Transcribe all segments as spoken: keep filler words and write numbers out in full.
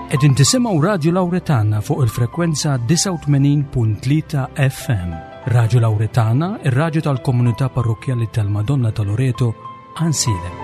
Qegħdin tisimgħu Radju Lawretana fuq il-frekwenza disgħa u tmenin punt tlieta F M. Radju Lawretana, ir-radju tal-komunità parrokkjali tal-Madonna ta' Loreto, Għajnsielem.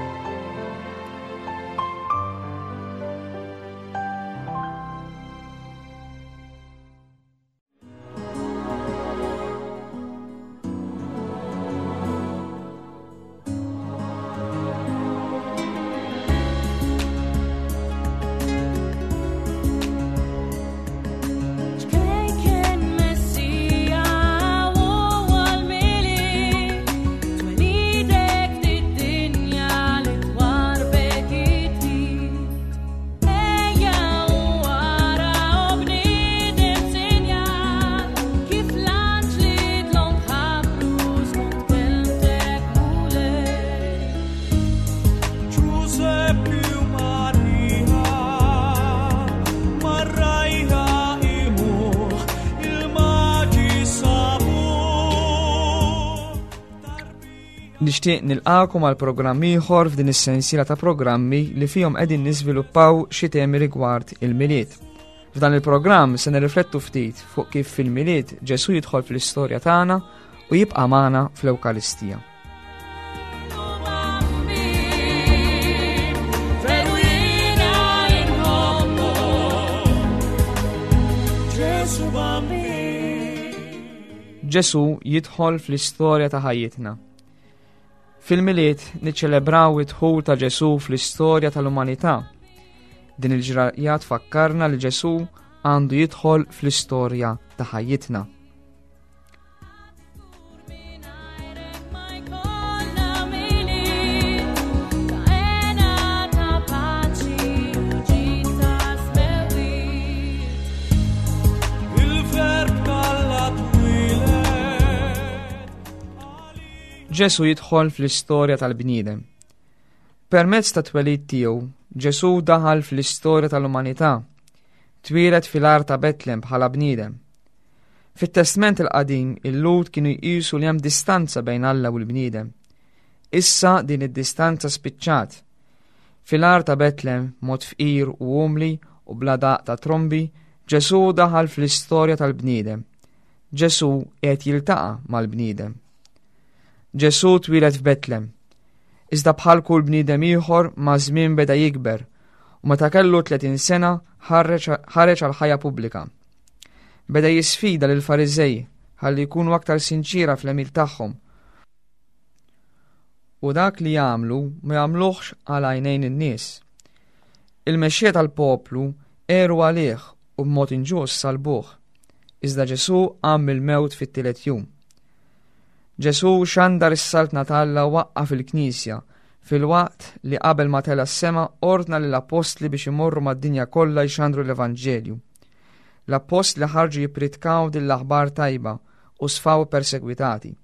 Nixtieq nilqakom għal programm ieħor f'din is-sensiela ta' programmi li fihom qegħdin niżviluppaw xi temi rigward il-Milied. F'dan il-programm se nirriflettu ftit fuq kif fil-Milied Ġesù jidħol fl-istorja tagħna u jibqa' magħna fl-Ewkaristija. Ġesù jidħol fl-istorja ta' ħajjitna. Fil-Milied niċċelebraw id-dħul ta' Ġesù fl-istorja tal-umanità. Din il-ġrajja tfakkarna li Ġesù għandu jidħol fl-istorja ta' ħajjitna. Ġesù jidħol fl-istorja tal-bniedem. Permezz ta' twelid tiegħu, Ġesù daħal fl-istorja tal-umanità. Twieled fil-għar ta' Betlem bħala bniedem. Fit-Testment il-Qadim, il-Lhud kienu jqisu li hemm distanza bejn Alla u l-bniedem. Issa din id-distanza spiċċat. Fil-għar ta' Betlem, mod fqir u umli u bla daq ta' trombi, Ġesù daħal fl-istorja tal-bniedem. Ġesù qed jiltaqa' mal-bniedem. Ġesù twieled f'Betlem. Iżda bħal kull bniedem ieħor ma' żmien beda jikber u meta kellu tletin sena ħareġ, ħareġ għal ħajja pubblika. Beda jisfida lil Fariżej ħalli jkunu aktar sinċira fl-għemil tagħhom. U dak li jagħmlu ma jagħmluhx għal għajnejn in-nies. Il-mexxejja tal-poplu għeru għalih u b'mod inġust salbuh. Iżda Ġesù qam mill-mewt fit-tielet jum. Ġesù xandar is-saltna ta' Alla waqqaf il-Knisja filwaqt li qabel ma tela' s-sema ordna lill-appostli biex imorru mad-dinja kollha jxandru l-Evanġelju. L-appostli ħarġu jippritkaw din l-aħbar tajba u sfaw persegwitati.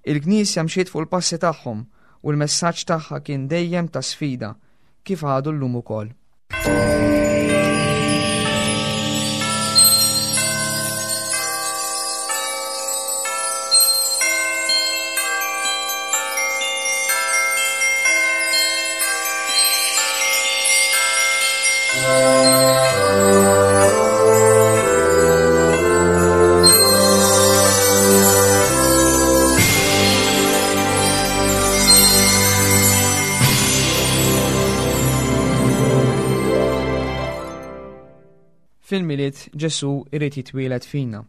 Il-Knisja mxiet fuq il-passi tagħhom u l-messaġġ tagħha kien dejjem ta' sfida kif għadu llum ukoll. Fil-Milied Ġesù irid jitwieled fina.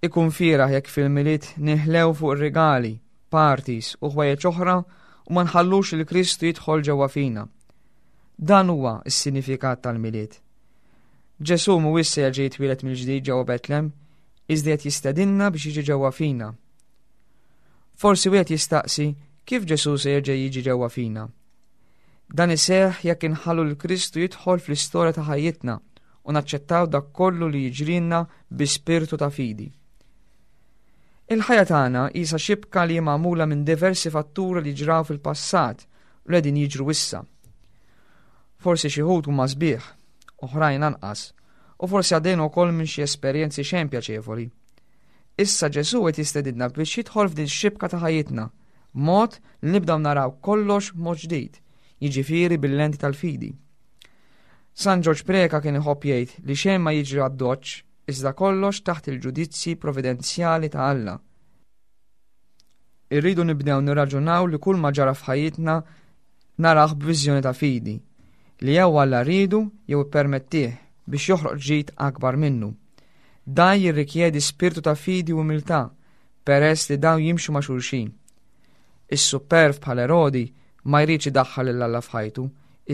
Ikun fieragħ jekk fil-Milied ninħlew fuq ir-rigali, parties u ħwejjeġ oħra u ma nħallux lil Kristu jidħol ġewwa fina. Dan huwa s-sinifikat tal-Milied. Ġesù mhuwiex se jerġa' jitwieled mill-ġdid ġewwa Betlem, iżda qed jistedinna biex jiġi ġewwa fina. Forsi wieħed jistaqsi kif Ġesù se jerġa' jiġi ġewwa fina. Dan iseħħ jekk inħallu lil Kristu jidħol fl-istorja ta' ħajjitna u naċċettaw dak kollu li jiġrilna bi spirtu ta' fidi. Il-ħajja tagħna qisha xibka li hi magħmula minn diversi fatturi li ġraw fil-passat u li qegħdin jiġru issa. Forsi xi wħud huma sbieħ, oħrajn anqas, u forsi għaddejna wkoll minn xi esperjenzi xejn pjaċevoli. Issa Ġesù qed jistedidna biex jidħol f'din x-xibka ta' ħajjitna, b'mod li nibdew naraw kollox mod ġdid, jiġifieri bil-lenti tal-fidi. San Ġorġ Preca kien iħobb jgħid li xejn ma jiġri għad-doċċ iżda kollox taħt il-ġudizzji providenzjali ta' Alla. Irridu nibdew nirraġunaw li kull ma ġara f'ħajjitna narah b'viżjoni ta' fidi, li jew Alla riedu jew ippermettih biex joħroq ġid akbar minnu. Dan jirrikjedi spirtu ta' fidi u umiltà, peress li dawn jimxu ma' xulxin. Is-supperv bħal Erodi ma jridx idaħħal lil Alla f'ħajtu,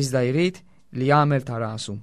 iżda jrid li jagħmel ta' rasu.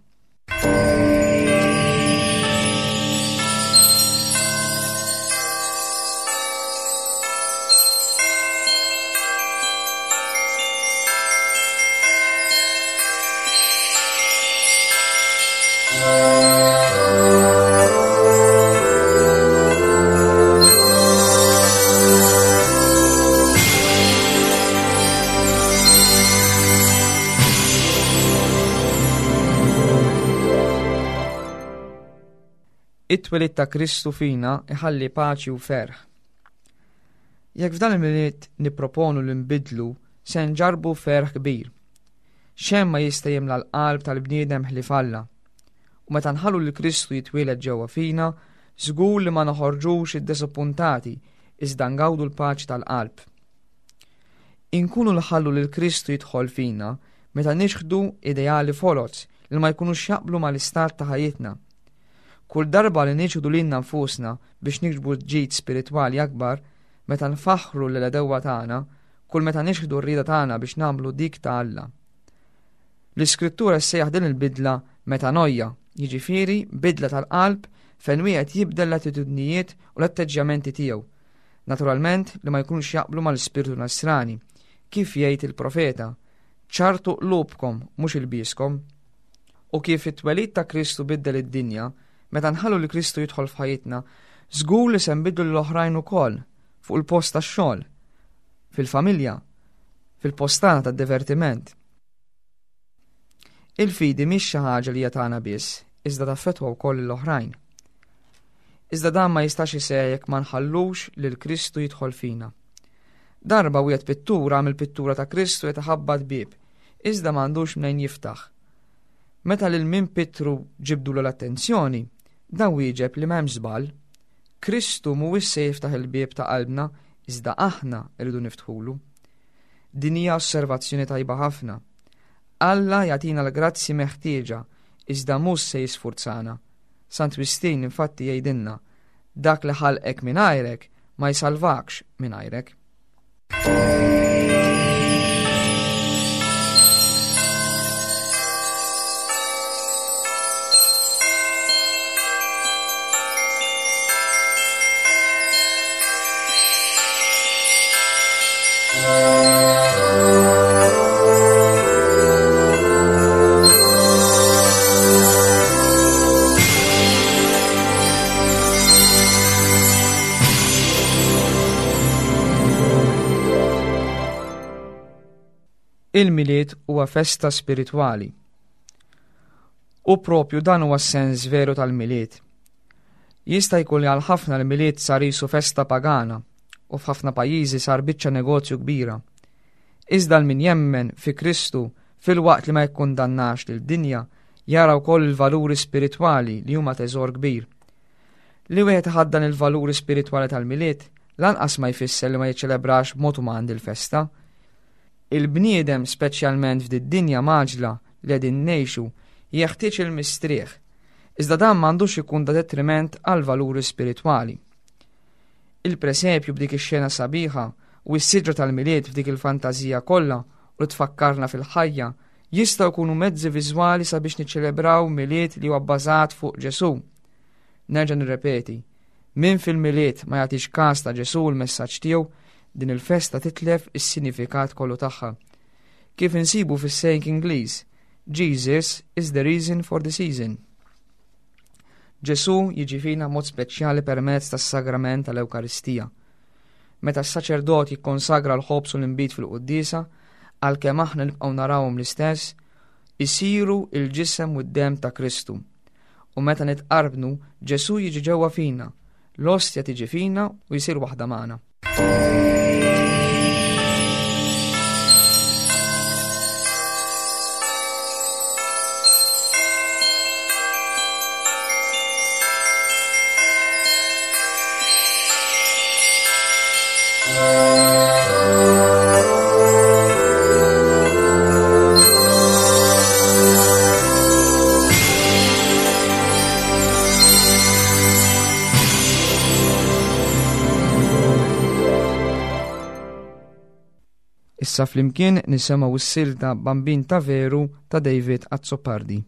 It-twelid ta' Kristu fina iħalli paċi u ferħ. Jekk f'dan il-Milied nipproponu li nbidlu, se nġarbu ferħ kbir. Xejn ma jista' jimla l-qalb tal-bniedem ħlief Alla. U meta nħallu li Kristu jitwieled ġewwa fina, żgur li ma noħorġux iddisappuntati, iżda ngawdu l-paċi tal-qalb. Inkunu nħallu lil Kristu jidħol fina meta nixħdu ideali foloz li ma jkunux jaqblu mal-istat ta' ħajjitna. Kull darba li niċħdu lilna nfusna biex niksbu ġid spiritwali akbar, meta nfaħħru lil għedewwa tagħna, kull meta nixħdu r-rieda tagħna biex nagħmlu dik ta' Alla. L-Iskrittura ssejjaħ din il-bidla metanoia, jiġifieri bidla tal-qalb fejn wieħed jibdel l-attitudnijiet u l-atteġġjamenti tiegħu. Naturalment li ma jkunux jaqblu mal-ispirtu nasrani, kif jgħid il-profeta, ċartu qlubkom mhux ilbieskom. U kif it-twelid ta' Kristu biddel id-dinja, meta nħallu li Kristu jidħol f'ħajjitna, żgur li se nbiddlu l-oħrajn ukoll fuq il-post tax-xogħol, fil-familja, fil-post tagħna tad-divertiment. Il-fidi mhix xi ħaġa li hija tagħna biss, iżda taffettwa wkoll l-oħrajn. Iżda dan ma jistax iseħħ jekk ma nħallux lil Kristu jidħol fina. Darba wieħed pittura għamel pittura ta' Kristu qed iħabbat bieb, iżda m'għandux mnejn jiftaħ. Meta lil min Pietru ġibdulu l-attenzjoni, dan wieġeb li m'hemmx żball. Kristu mhuwiex se jiftaħ il-bieb ta' qalbna, iżda aħna rridu niftħulu. Din hija osservazzjoni tajba ħafna. Alla jagħtina l-grazzi meħtieġa, iżda mhux se jisfurzana. Sant Wistin infatti jgħidilna, dak li ħalqek mingħajrek ma jsalvakx mingħajrek. Il-Milied huwa festa spiritwali. U propju dan huwa s-sens veru tal-Milied. Jista' jkun li għal ħafna l-Milied sar jisu festa pagana u f'ħafna pajjiżi sar biċċa negozju kbira. Iżda l min jemmen fi Kristu filwaqt li ma jikkundannax lil dinja jara wkoll il-valuri spiritwali li huma teżor kbir. Li wieħed iħaddan il-valuri spiritwali tal-Milied lanqas ma jfisser li ma jiċċelebrax b'mod uman dil-festa. Il-bniedem speċjalment f'did-dinja maġla li qegħdin ngħixu jeħtieġ il-mistrieħ, iżda dan m'għandux ikun ta' detriment għal valuri spiritwali. Il-presepju b'dik ix-xena sabiħa u s-siġra tal-Milied f'dik il-fantażija kollha u li tfakkarna fil-ħajja jistgħu jkunu mezzi viżwali sabiex niċċelebraw Milied li huwa bbażat fuq Ġesù. Nerġa' nirrepeti, min fil-Milied ma jagħtix każ ta' Ġesù u l-messaġġ tiegħu, din il-festa titlef is-sinifikat kollu tagħha. Kif insibu fis-saying Ingliż, Jesus is the reason for the season. Ġesù jiġi fina mod speċjali permezz tas-sagrament tal-Ewkaristija. Meta s-saċerdot jikkonsagra l-ħobż u l-inbid fil-quddiesa, għalkemm aħna nibqgħu narawhom l-istess, isiru il-ġisem u d-demm ta' Kristu. U meta nitqarbnu, Ġesù jiġi ġewwa fina, l-ostja tiġi fina u jsir waħda magħna. Issa flimkien nisimgħu s-silta Bambin ta' Veru ta' David Azzopardi.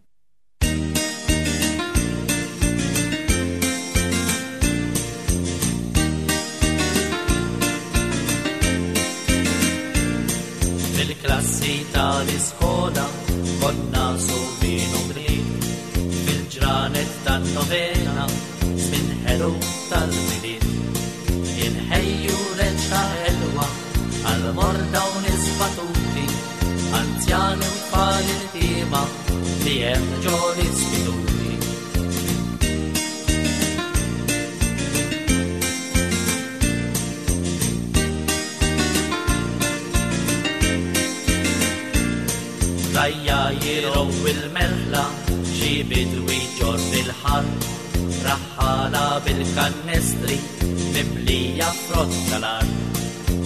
Fil-klassi tal-iskola konna subin u bniet, fil-ġranet tan-novena żmien ħelu tal-Milied. Inħejju reċta ħelwa għal-morda u nies batuti, anzjani u tfal iltiema li hemm ġo l-istituti. Rajja jirow il-merħla, xi bidwi ġor fil-ħar, raħħala bil-kannestri, mimlija frott tal-art.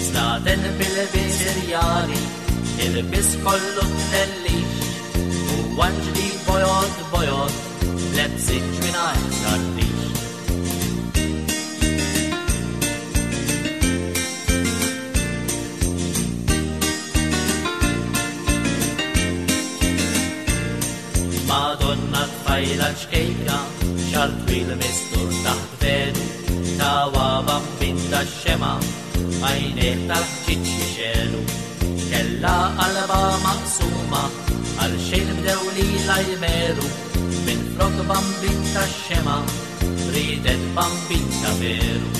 Snaden bil-ilbies irjali, ilbies kollu tlellix, u anġli bojod bojod, lebsit mingħajr tartix. Madonna tfajla ċkejkna, xar twil mistur taħt velu, tawa bambin tax-xema, għajnejh tal-ħġiġ jixelu. Kella qalba maqsuma, għal xejn bdew lilha jmeru, minn flok bambin tax-xema, ridet bambin ta' veru.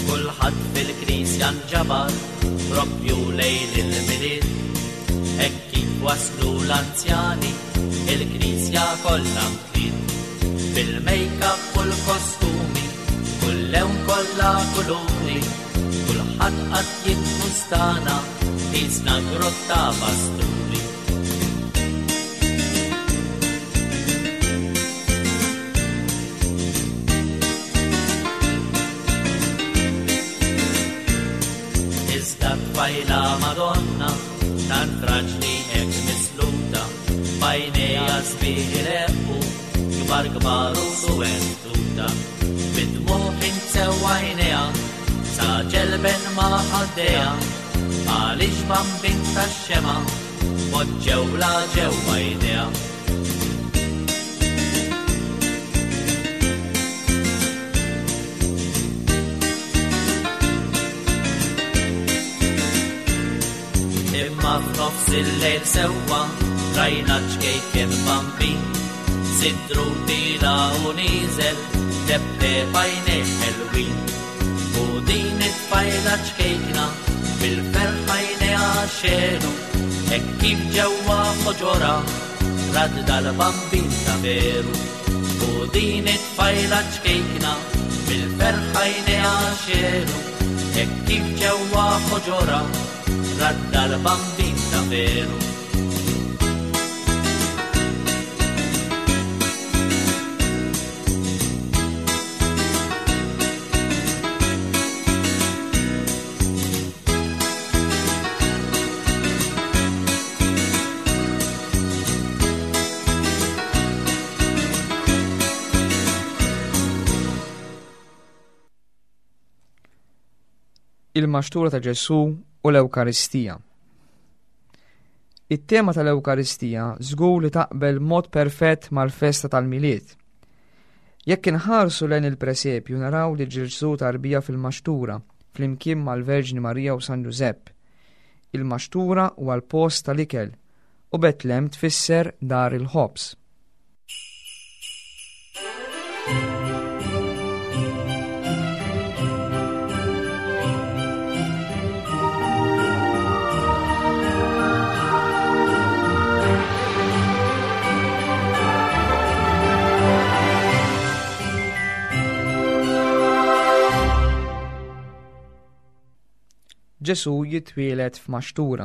Kulħadd fil-knisja nġabar propju lejl il-Milied, hekk kif waslu l-anzjani, il-knisja kollha mtliet. Bil-make-up u l-kostumi, kull lewn kollha kuluri, kulħadd qatt jittustana, qisna grotta pasturi. Iżda tfajla Madonna, tant fraġli hekk misluta, b'għajnejha sbieħ ireqqu, kbar kbar u suwed tuta. Bid-dmugħ insew għajnejha, sa ġelben ma' ħaddejha, għaliex bambin tax-xema, poġġewla ġewwa jdejha. Imma f'nofs il-lejl sewwa rajna ċkejken bambin, sidru tila u nieżel, tebteb għajnejh ħelwin. U din it-tfajla ċkejkna bil-ferħ għajnejha xelu, hekk kif ġewwa ħoġorha rad dal-bambin ta' veru. U din it-tfajla ċkejkna bil-ferħ għajnejha xelu, hekk kif ġewwa ħoġorha rad dal-bambin ta' veru. Il-maxtura ta' Ġesù u l-Ewkaristija. It-tema tal-Ewkaristija żgur li taqbel mod perfett mal-festa tal-Milied. Jekk inħarsu lejn il-presepju naraw li Ġesù tarbija fil-maxtura flimkien mal-Verġni Marija u San Ġużepp. Il-maxtura huwa l-post tal-ikel u Betlem tfisser dar il-ħobż. Ġesù jitwieled f'maxtura.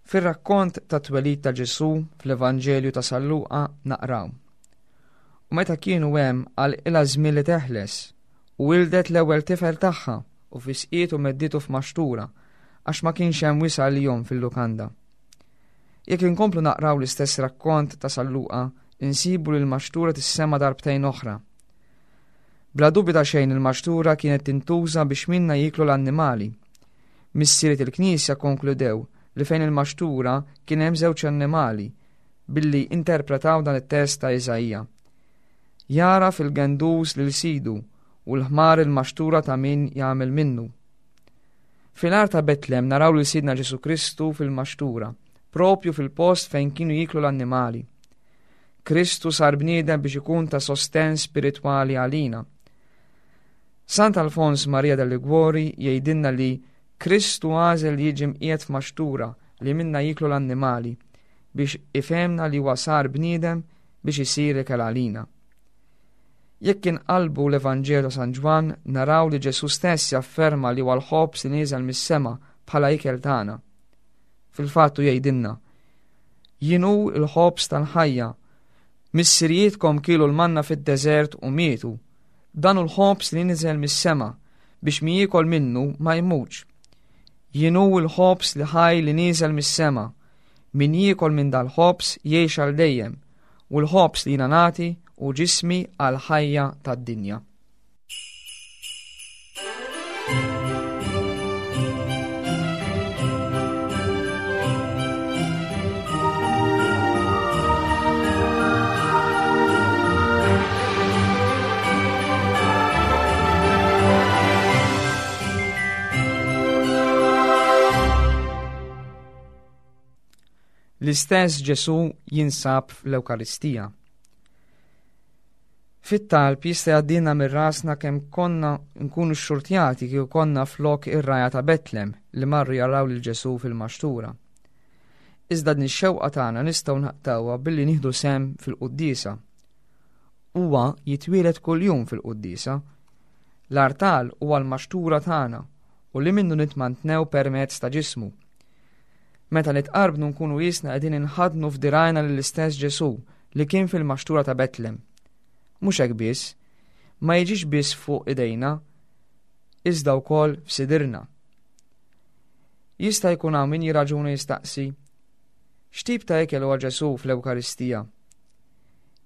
Fir-rakkont ta' twelid ta' Ġesù fl-Evanġelju ta' San Luqa naqraw. U meta kienu hemm għal ilha żmien li teħles, u wildet l-ewwel tifel tagħha u fisqietu medditu f'maxtura għax ma kienx hemm wisa' għalihom fil-lukanda. Jekk inkomplu naqraw l-istess rakkont ta' San Luqa, insibu li l-maxtura tissema darbtejn oħra. Bla dubju ta' xejn il-maxtura kienet tintuża biex minna jiklu l-annimali. Missiriet il-Knisja konkludew li fejn il-maxtura kien hemm żewġ annimali billi interpretaw dan it-test ta' Iżaija. Jara fil-gendus lil sidu u l-ħmar il-maxtura ta' min jagħmel minnu. Fil-għar ta' Betlem naraw lil Sidna Ġesu Kristu fil-maxtura, propju fil-post fejn kienu jiklu l-annimali. Kristu sar bniedem biex ikun ta' sosten spiritwali għalina. Sant Alfons Maria de Liguori jgħidilna li Kristu għażel li jiġi mqiegħed f'maxtura li minna jiklu l-annimali biex ifhemna li huwa sar bniedem biex isir ikel għalina. Jekk inqalbu l-Evanġelju ta' San Ġwann naraw li Ġesu stess jafferma li huwa l-ħobż li nieżel mis-sema bħala ikel tagħna. Fil-fatt hu jgħidilna, Jien hu l-ħobż tal-ħajja. Missirijietkom kielu l-manna fid-deżert u mietu. Dan hu l-ħobż li niżel mis-sema biex min jiekol minnu ma jmutx. Jien hu l-ħobż li ħaj li nieżel mis-sema. Min jiekol minn dal-ħobż jgħix għal dejjem, u l-ħobż li jiena nagħti u ġismi għal ħajja tad-dinja. L-istess Ġesu jinsab fl-Ewkaristija. Fit-talb jista' jgħaddilna minn rasna kemm konna nkunu xxurtjati kieku konna flok ir-rgħajja ta' Betlem li marru jaraw lil Ġesu fil-maxtura. Iżda din ix-xewqa tagħna nistgħu naqtawha billi nieħdu sehem fil-quddiesa. Huwa jitwieled kuljum fil-quddiesa. L-artal huwa l-maxtura tagħna u li minnu nitmantnew permezz ta' ġismu. Meta nitqarbnu nkunu jisna qegħdin inħadnu f'dirajna lill-istess Ġesu li kien fil-maxtura ta' Betlem. Mhux hekk biss, ma jiġix biss fuq idejna, iżda wkoll f'sidirna. Jista' jkun hawn min jiraġuna jistaqsi, x'tip ta' ikel huwa Ġesu fl-Ewkaristija?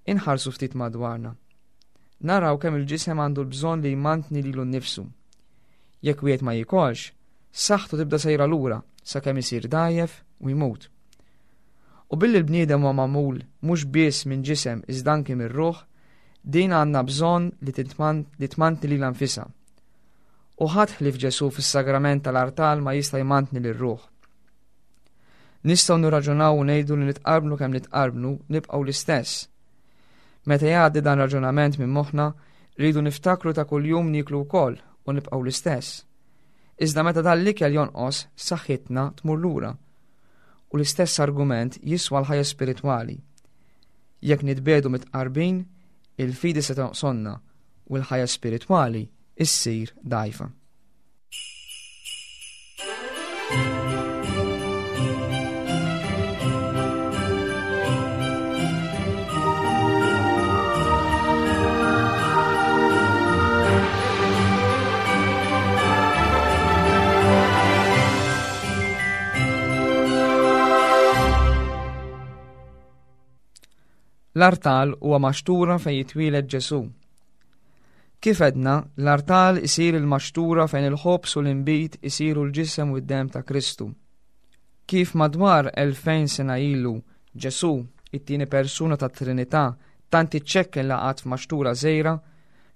Inħarsu ftit madwarna. Naraw kemm il-ġisem għandu l-bżonn li jmantni lilu nnifsu. Jekk wieħed ma jikolx, saħħtu tibda sejra lura sakemm isir dgħajjef u jmut. U billi l-bniedem huwa magħmul mhux biss minn ġisem iżda anki mir-ruħ, din għandna bżonn li titman-, li tmantni lilha nfisha. U ħadd ħlief Ġesu fis-sagrament tal-artal ma jista' jmantni lir-ruħ. Nistgħu nirraġunaw u ngħidu li nitqarbnu kemm nitqarbnu nibqgħu l-istess. Meta jgħaddi dan raġunament minn moħħna, rridu niftakru ta' kuljum nieklu wkoll u nibqgħu l-istess. Iżda meta dan l-ikel jonqos, saħħitna tmur lura. U l-istess argument jiswa l-ħajja spiritwali. Jekk nitbedu mitqarbin, il-fidi se tonqsonna u l-ħajja spiritwali issir dgħajfa. L-artal huwa maxtura fejn jitwieled Ġesu. Kif għedna, l-artal isir il-maxtura fejn il-ħobż u l-inbid isiru l-ġisem u d-demm ta' Kristu. Kif madwar elfejn sena ilu Ġesu, it-tieni persuna tat-Trinità, tant iċċekken laqat f'maxtura żgħira,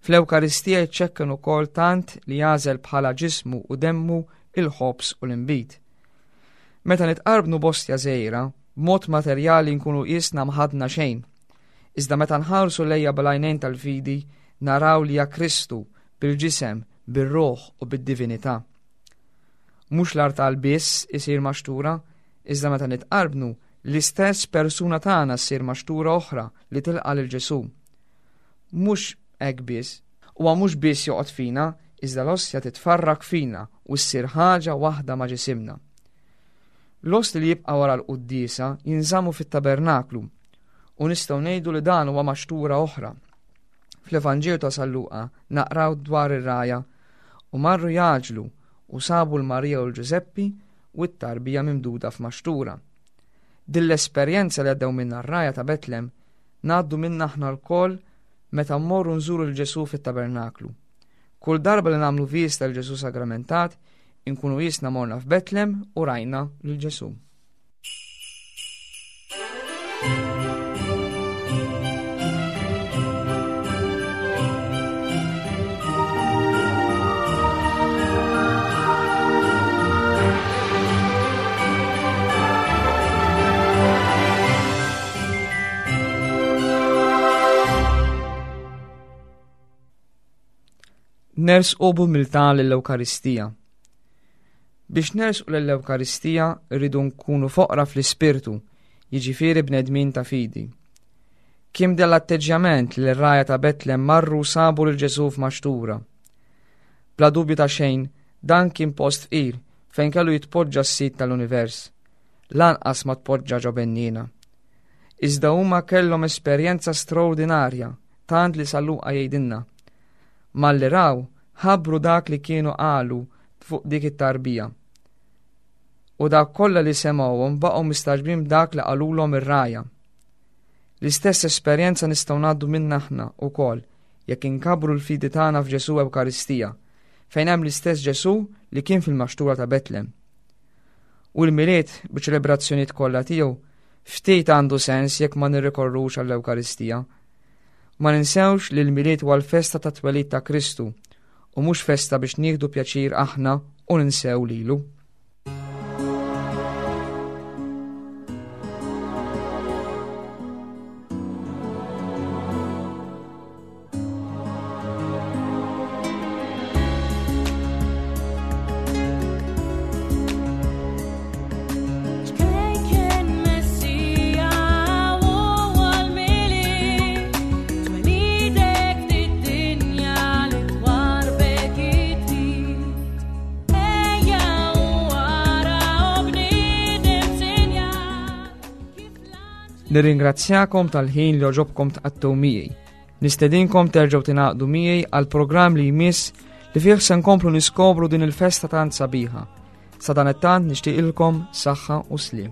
fl-Ewkaristija jiċċekken ukoll tant li jagħżel bħala ġismu u demmu il-ħobż u l-inbid. Meta nitqarbnu bostja żgħira, b'mod materjali nkunu qisna mħadna xejn. Iżda meta nħarsu lejja bl-għajnejn tal-fidi, naraw li hija Kristu bil-ġisem, bir-ruħ u bid-divinità. Mhux l-artal biss isir maxtura, iżda meta nitqarbnu, l-istess persuna tagħna ssir maxtura oħra li tilqa' lil Ġesu. Mhux hekk biss, huwa mhux biss joqgħod fina, iżda l-ostja titfarrak fina u ssir ħaġa waħda ma' ġisimna. L-osti li jibqa' wara l-quddiesa jinżammu fit-tabernaklu u nistgħu ngħidu li dan huwa maxtura oħra. Fl-Evanġelju ta' San Luqa naqraw dwar ir-rgħajja u marru jaġlu u sabu l-Marija u l-Ġużeppi u t-tarbija mimduda f'maxtura. Din l-esperjenza li għaddew minna r-rgħajja ta' Betlem ngħaddu minna aħna lkoll meta mmorru nżuru 'l Ġesù fit-tabernaklu. Kull darba li nagħmlu viżta 'l Ġesù sagramentat, inkunu qisna morna f'Betlem u rajna lil Ġesù. Nersqu b'umiltà lill-Ewkaristija. Biex nersqu lill-Ewkaristija rridu nkunu foqra fl-ispirtu, jiġifieri bnedmin ta' fidi. Kien dal-atteġġjament li r-rgħajja ta' Betlem marru sabu lil Ġesù f'maxtura. Bla dubju ta' xejn, dan kien post fqir fejn kellu jitpoġġa s-sid tal-univers. Lanqas ma tpoġġa ġo benniena. Iżda huma kellhom esperjenza straordinarja, tant li San Luqa jgħidilna. Malli raw, ħabbru dak li kienu qalu fuq dik it-tarbija. U dak kollha li semgħuhom baqgħu mistagħġbin b'dak li qalulhom ir-rgħajja. L-istess esperjenza nistgħu ngħaddu minna aħna wkoll jekk inkabbru l-fidi tagħna f'Ġesù Ewkaristija, fejn hemm l-istess Ġesù li kien fil-maxtura ta' Betlem. U l-Milied biċ-ċelebrazzjonijiet kollha tiegħu ftit għandu sens jekk ma nirrikorrux għall-Ewkaristija. Ma ninsewx li l-Milied huwa l-festa ta' twelid ta' Kristu u mhux festa biex nieħdu pjaċir aħna u ninsew lilu. Ċkejken Messija u għal-Milied, twelidek d-dinja li twarbek it-trid. Ejja u ara u bniedem sinjal kif l-anġli Nirringrazzjakom tal-ħin li għoġobkom tqattgħu miegħi. Nistedinkom terġgħu tingħaqdu miegħi għal programm li jmiss li fih se nkomplu niskopru din il-festa tant sabiħa. Sadanittant nixtieqilkom saħħa u sliem.